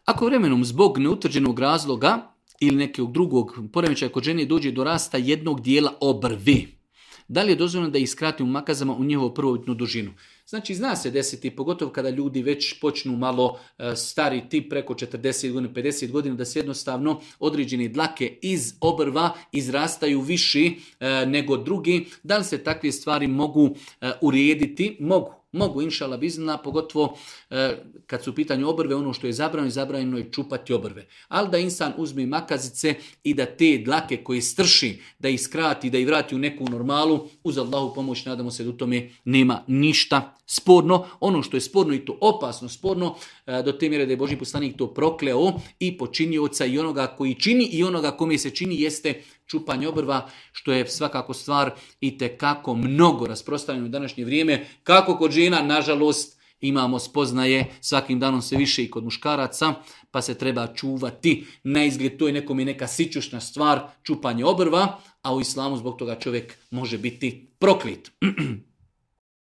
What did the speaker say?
Ako vremenom zbog neutvrđenog razloga ili nekog drugog poremećaja kod žene dođe do rasta jednog dijela obrvi, da li je dozvoljeno da ih skratimo makazama u njihovu prvobitnu dužinu? Znači, zna se desiti, pogotovo kada ljudi već počnu malo stariti, preko 40 godina, 50 godina, da se jednostavno određene dlake iz obrva izrastaju viši nego drugi. Da li se takve stvari mogu urediti? Mogu, inšala bizna, pogotovo kad su u pitanju obrve, ono što je zabranjeno je čupati obrve. Ali da insan uzme makazice i da te dlake koje strši, da ih skrati, da ih vrati u neku normalu, uz Allahu pomoć, nadamo se da u tome nema ništa sporno. Ono što je sporno i to opasno sporno, do te mjere da je Božji poslanik to prokleo i počinioca i onoga koji čini i onoga kome se čini, jeste čupanje obrva, što je svakako stvar i tekako mnogo rasprostranjeno u današnje vrijeme. Kako kod žena, nažalost, imamo spoznaje svakim danom sve više i kod muškaraca, pa se treba čuvati. Na izgled to je nekome neka sićušna stvar, čupanje obrva, a u islamu zbog toga čovjek može biti proklet.